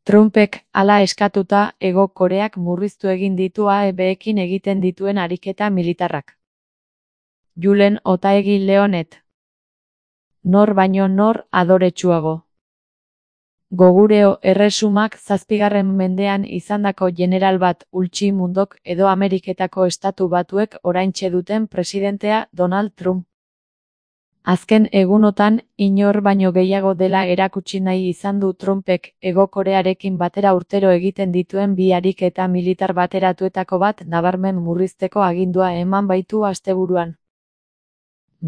Trumpek hala eskatuta Hego Koreak murriztu egin ditu AEBekin egiten dituen ariketa militarrak. Julen Otaegi Leonet. Nor baino nor adoretsuago. Gogureo erresumak 7. mendean izandako general bat Ulchi Mundok edo Ameriketako Estatu Batuek oraintxe duten presidentea Donald Trump. Azken egunotan, inor baino gehiago dela erakutsi nahi izan du Trumpek Hego Korearekin batera urtero egiten dituen bi ariketa militar bateratuetako bat nabarmen murrizteko agindua eman baitu asteburuan.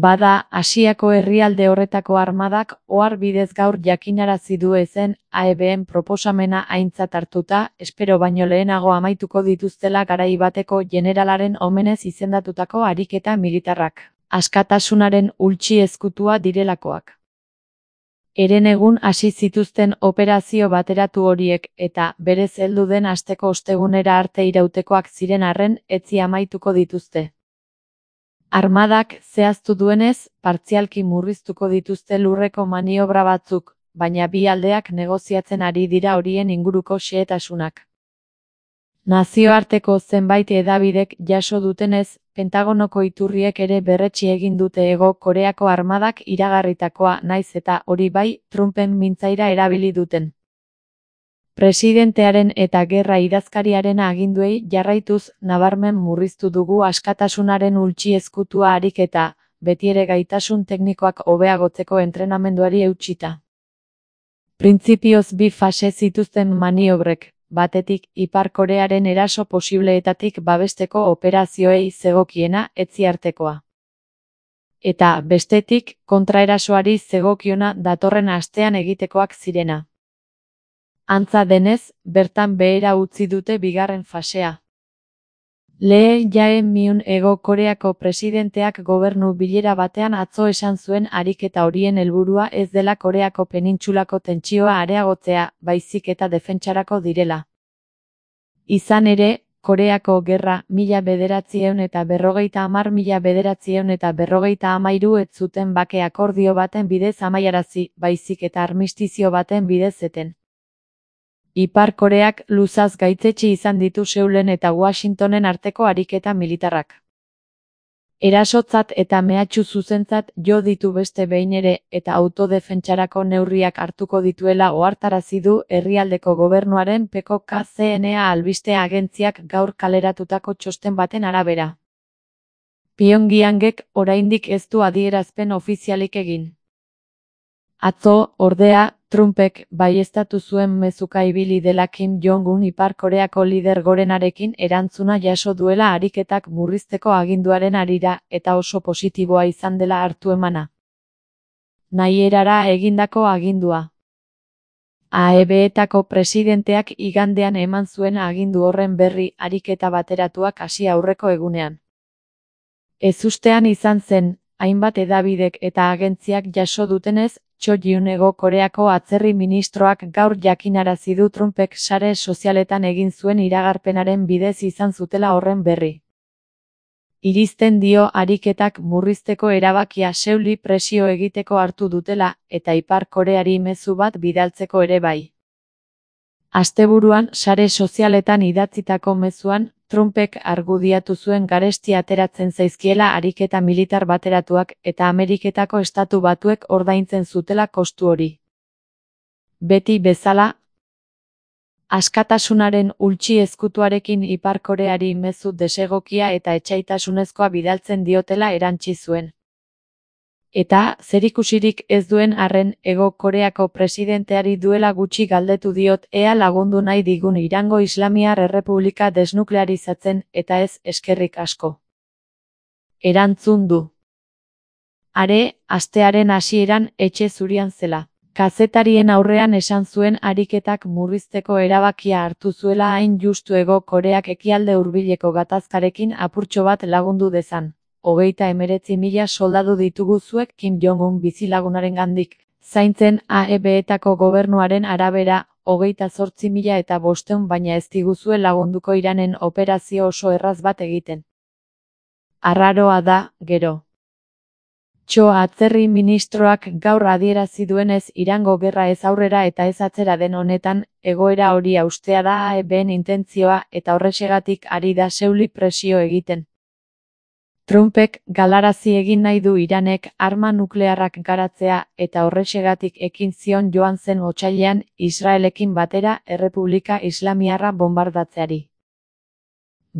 Bada, Asiako herrialde horretako armadak ohar bidez gaur jakinarazi du ezen AEBen proposamena aintzat hartuta, espero baino lehenago amaituko dituztela garai bateko generalaren omenez izendatutako ariketa militarrak. Askatasunaren ultsi ezkutua direlakoak. Herenegun hasi zituzten operazio bateratu horiek eta berez heldu den asteko ostegunera arte irautekoak ziren arren etzi amaituko dituzte. Armadak zehaztu duenez, partzialki murriztuko dituzte lurreko maniobra batzuk, baina bi aldeak negoziatzen ari dira horien inguruko xehetasunak. Nazioarteko zenbait hedabidek jaso dutenez, Pentagonoko iturriek ere berretsi egin dute Hego Koreako armadak iragarritakoa naiz eta hori bai, Trumpen mintzaira erabili duten. Presidentearen eta gerra idazkariaren aginduei jarraituz nabarmen murriztu dugu askatasunaren ultsi ezkutua ariketa, betiere gaitasun teknikoak hobeagotzeko entrenamenduari eutsita. Printzipioz bi fase zituzten maniobrek, batetik Ipar Korearen eraso posibleetatik babesteko operazioei zegokiena etziartekoa. Eta bestetik, kontraerasoari zegokiona datorren astean egitekoak zirena. Antza denez, bertan behera utzi dute bigarren fasea. Lee Jae-myung Hego Koreako presidenteak gobernu bilera batean atzo esan zuen ariketa horien helburua ez dela Koreako penintsulako tentsioa areagotzea, baizik eta defentsarako direla. Izan ere, Koreako gerra 1950–1953 ez zuten bake akordio baten bidez amaiarazi, baizik eta armistizio baten bidez eten. Ipar Koreak luzaz gaitzetsi izan ditu Seulen eta Washingtonen arteko ariketa militarrak. Erasotzat eta mehatxu zuzentzat jo ditu beste behin ere eta autodefentsarako neurriak hartuko dituela ohartarazi du herrialdeko gobernuaren peko KCNA albiste agentziak gaur kaleratutako txosten baten arabera. Pyongyangek oraindik ez du adierazpen ofizialik egin. Atzo, ordea, Trumpek baieztatu zuen mezuka ibili dela Kim Jong-un Ipar Koreako lider gorenarekin erantzuna jaso duela ariketak murrizteko aginduaren harira eta oso positiboa izan dela hartu emana. Nahierara egindako agindua. AEBetako presidenteak igandean eman zuen agindu horren berri ariketa bateratuak hasi aurreko egunean. Ezustean izan zen, hainbat hedabidek eta agentziak jaso dutenez, Cho Jun Hego Koreako atzerri ministroak gaur jakinarazi du Trumpek sare sozialetan egin zuen iragarpenaren bidez izan zutela horren berri. Irizten dio ariketak murrizteko erabakia Seuli presio egiteko hartu dutela eta Ipar Koreari mezu bat bidaltzeko ere bai. Asteburuan sare sozialetan idatzitako mezuan, Trumpek argudiatu zuen garesti ateratzen zaizkiela ariketa militar bateratuak eta Ameriketako Estatu Batuek ordaintzen zutela kostu hori. Beti bezala, askatasunaren ultsi ezkutuarekin Ipar Koreari mezu desegokia eta etsaitasunezkoa bidaltzen diotela erantsi zuen. Eta, zerikusirik ez duen arren Hego Koreako presidenteari duela gutxi galdetu diot ea lagundu nahi digun Irango Islamiar Errepublika desnuklearizatzen eta ez eskerrik asko. Erantzun du. Are, astearen hasieran etxe zurian zela. Kazetarien aurrean esan zuen ariketak murrizteko erabakia hartu zuela hain justu Hego Koreak ekialde hurbileko gatazkarekin apurtxo bat lagundu dezan. 39.000 soldadu ditugu zuek Kim Jong-un bizilagunarengandik. Zaintzen AEBetako gobernuaren arabera, 28.500 baina ez diguzue lagunduko Iranen operazio oso erraz bat egiten. Arraroa da, gero. Txo atzerri ministroak gaur adierazi duenez Irango gerra ez aurrera eta ez atzera den honetan, egoera hori haustea da AEBen intentzioa eta horrexegatik ari da Seuli presio egiten. Trumpek galarazi egin nahi du Iranek arma nuklearrak garatzea eta horrexegatik ekin zion joan zen otsailean Israelekin batera Errepublika Islamiarra bonbardatzeari.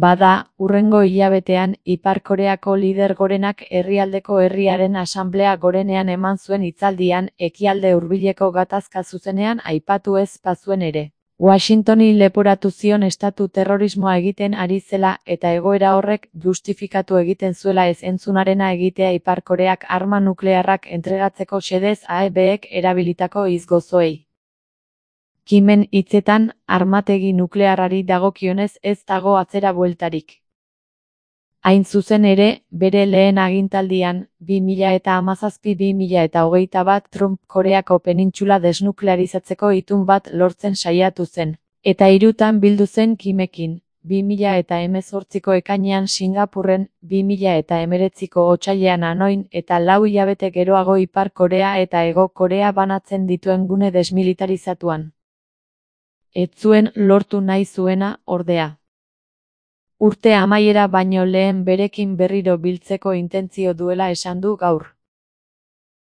Bada, hurrengo hilabetean Ipar Koreako lider gorenak herrialdeko herriaren asanblea gorenean eman zuen hitzaldian ekialde hurbileko gatazka zuzenean aipatu ez bazuen ere. Washingtoni leporatu zion estatu terrorismoa egiten ari zela eta egoera horrek justifikatu egiten zuela ez entzunarena egitea Ipar Koreak arma nuklearrak entregatzeko xedez AEBek erabilitako hitz-gozoei. Kimen hitzetan, armategi nuklearrari dagokionez ez dago atzera bueltarik. Hain zuzen ere, bere lehen agintaldian, 2017-2021 Trump Koreako penintxula desnuklearizatzeko itun bat lortzen saiatu zen. Eta 3 bildu zen Kimekin, 2018ko ekainean Singapurren, 2019ko otsailean Hanoin eta 4 hilabete geroago Ipar Korea eta Hego Korea banatzen dituen gune desmilitarizatuan. Ez zuen lortu nahi zuena, ordea. Urte amaiera baino lehen berekin berriro biltzeko intentzio duela esan du gaur.